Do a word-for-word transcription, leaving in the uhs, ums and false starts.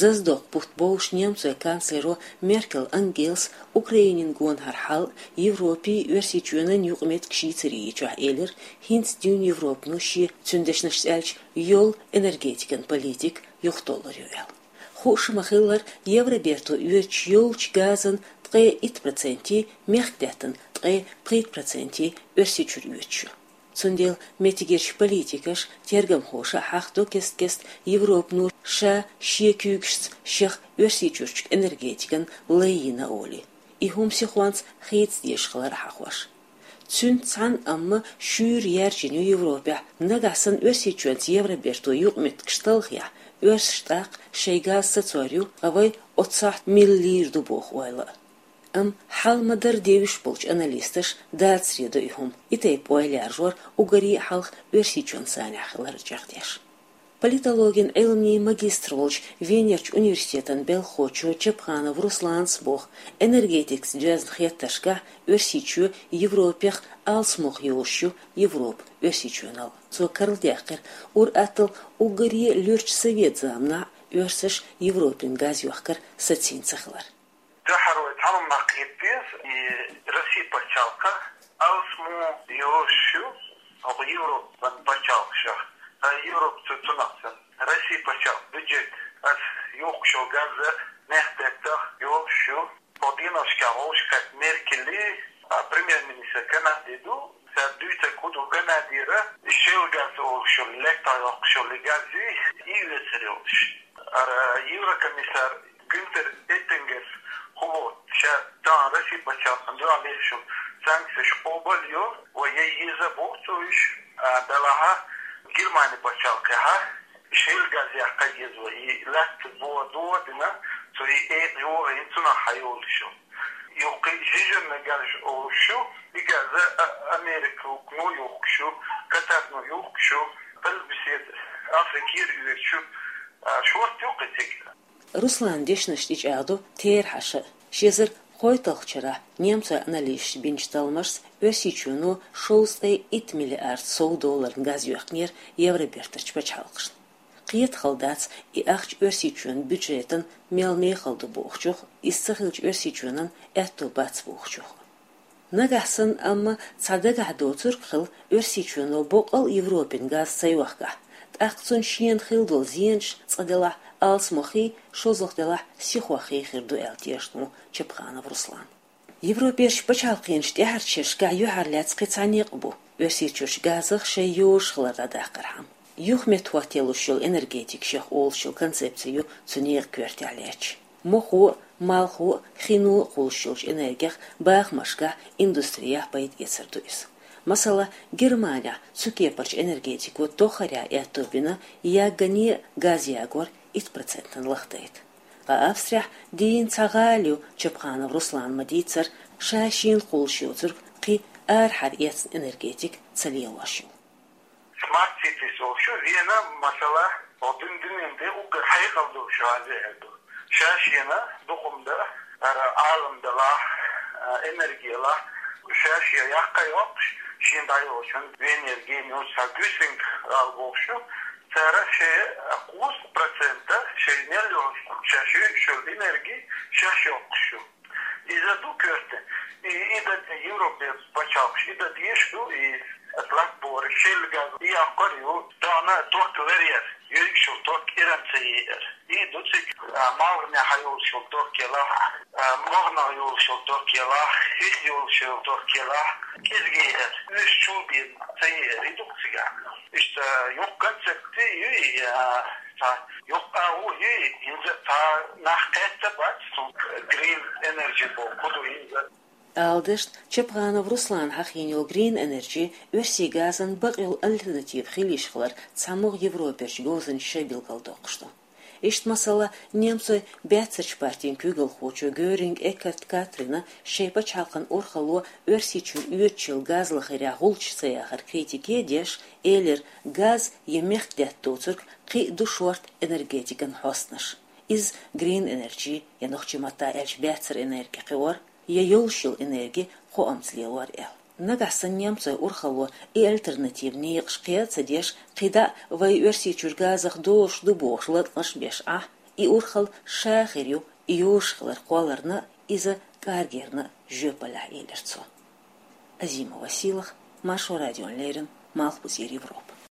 Заздокх бутт болуш немцойн канцлеро Меркель Ангелас Украинина гонахьара хьал, Европи Оьрсийчоьнан юкъаметтигаш йийцаре йичохь элира, хӀинца дуьйна Европано шен, цуьнан дешнашца аьлча, йолу энергетикан политика юхатоллур ю аьлла. Хууш ма-хиллара, Евроберто оьцуш йолчу газан ткъе итт проценте, мехкдаьттан ткъе пхийтта проценте Оьрсийчуьра оьцуш ю. Цундела меттигерчу политикаша, тергамхоша а хьахадо кест-кеста, Европано ша шен куьйгашца шех Оьрсийчуьрчу энергетикана лай йина олий. И хӀума сихонца хийца дезаш хилар а хьахош. Цуьнца цхьаьна амма шуьйра яьржина ю Европехь, нагахь санна Оьрсийчоьнца Евроберто юкъаметтигаш талхахь, оьрсаша тӀаккха шайн газ сацор ю, ткъа вай оццахь мила лийр ду боху ойла а. Амма хьал ма-дарра девзаш болчу аналисташа дацаре до и хӀума, и тайпа ойла яржор уггаре а хьалха Оьрсийчоьнан санехь хилар чӀагӀдеш. Политологин Ӏилманийн магистр волчу Венерчу университетан белхахочо Чапханов Руслана боху, энергетикаца доьзна хеттаршкахь Оьрсийчоь Европех алсамох йолуш ю, Европа Оьрсийчоьнал. Цо карладаьккхира, ур-атталла уггаре а луьрачу совет заманахь оьрсаша Европина газ йохкар сацийна ца хилар. Дуьххьара вай цхьа хӀума кхета деза, и Россия пачхьалкх алсамо йолуш ю хӀокху Европан пачхьалкхашах, ткъа Европа цу цунах санна. Россия пачхьалкхан бюджет, ас юхкуш йолу газ мехкдаттах йолуш ю. Хьо дийнахь вовшашка Меркели, а, премьер-министр Канади ду, цара дуьйцург хӀун ду, Канадера шелла газ олуш йолу, лаьттах йоккхуш йолу гази, и оьцур йолуш. Ара еврокомиссар Гюнтер Эттингерс хӀун боху, ша тахана Россия пачхьалкхана дуьхьал лелаш йолу санкцеш къобал йо, вай ян еза боху цо уьш, а, делахь а Германи пачхьалкхехь шелла газ яккха еза вай, и лаьтта бо дохадина, цо и экъа йохийна, цунах хьайолуш йолу. Юххе жижигна газ олуш ю, и газ а Американо юхкуш ю, Катарно юхкуш ю, Къилбаседа Африкера оьцуш ю, а, шорта ю кхин цига. Руслана дешнаш тӀечӀагӀдо терахьаша а. Ши эзар кхойтталгӀачу шарахь немцойн аналисташа бинчу талламашца Оьрсийчоьно шовзткъе итт миллиард сов долларна газ йоьхкинера Евробертарчу пачхьалкхашна. Кхетахалла дац, и ахча Оьрсийчоьнан бюджетан мел мехала ду бохучух, иза ца хилча Оьрсийчоьнан аьтто бац бохучух. Нагахь санна амма цхьа дагахь доцург хилла, Оьрсийчоьно боккъал а Европина газ ца йохкахь, тӀаккха цунна шена хилла долу зенаш цкъа делахь алсамохий, шозлагӀа делахь сихохий хир ду аьлла тешна ву Чапханов Руслан. Европерчу пачхьалкхаша тӀаьхьарчу шерашкахь юьхьарлаьцна кхин цхьа некъ бу Оьрсийчуьрчу газах шайн йозуш хилар дӀадаккхархьама. Юха меттахӀоттаялуш йолу энергетика шех олуш йолу концепци ю цу некъан коьртехь лаьтташ. Мохо а, малхо а, хино а кхуллуш йолчу энергех бахамашкахь, индустрехь пайда эцар ду иза. Масала, Германехь цу кепарчу энергетико тоххарехь аьтто бина, яггане а газ ягор итт процентана лахдайта. Ткъа Австрехь дийна цхьа гӀала ю, Чапханов Руслана ма-дийццара, ша-шена кхуллуш йоцург кхин арахьара эцна энергетика ца лелош ю. Smart cities олуш ю, Вена, масала, хӀокху дуьненан тӀе уггар хьекъал долуш гӀала ю аьлла ду. Ша-шена дукха хӀума дан, ара Ӏалам далахь, а, энерги ялахь, ша-шен яккха йоккхуш, шена дӀайолчун Венера гена йолчу цхьа Гюсинг гӀала бохуш ю, цара шайн кхузткъа процент шайн мел йолуш, ша шуьйцуш йолу энерги шаьш йоккхуш ю. Иза ду коьрта. И, и дан Европерчу пачхьалкхаша, и дан дезаш ду, и латта бохург шелла газ яккхар ю, тахана ток ларъяр, йоьргаш йолу ток Иран ца еар. И ду цига, а, малханехьа йолуш йолу ток елахь, а, могӀанах йолуш йолу ток елахь, хих йолуш йолу ток елахь, кӀезиг еар, уьш чул бен ца еар, и ду цигахь. Иштта юха концепци ю и, а, цхьа юха агӀо ю и, хӀинца цхьа нах кхетта бац, цу Green Energy боху, хӀун ду хӀинца. Ала деза, Чапханов Руслана хьахийна йолу Green Energy оьрсийн газан бакъйолу альтернатива хила йиш хилар цхьамогӀа Европерчу говзанчаша билгалдоккхуш ду. Иштта, масала, немцойн баьццарчу партин куьйгалхочо Гёринг-Эккарт Катрина шайн пачхьалкхан урхалло Оьрсийчуьра оьцуш йолу газ лахарехь гӀулч ца яхар критике а деш, элира, газ я мехкдаьтта доцург кхин а ду шорта энергетикан хьостанаш. Иза Green Energy, я нохчийн маттахь аьлча баьццара энерги кхиор, я йолуш йолу энерги кхоамца лелор аьлла. Нагахь санна немцойн урхалло и альтернативан некъаш кхел а ца деш, кхидӀа а вай Оьрсийчуьра газах долуш ду бохуш латкъаш а беш Ӏа, И урхалла ша хир ю юрш хилар кхолларна, иза кӀаргерна жоьпаллехь, элира цо. Азимова Сийлаха, Маршо радиона леррина, Малхбузера Европа.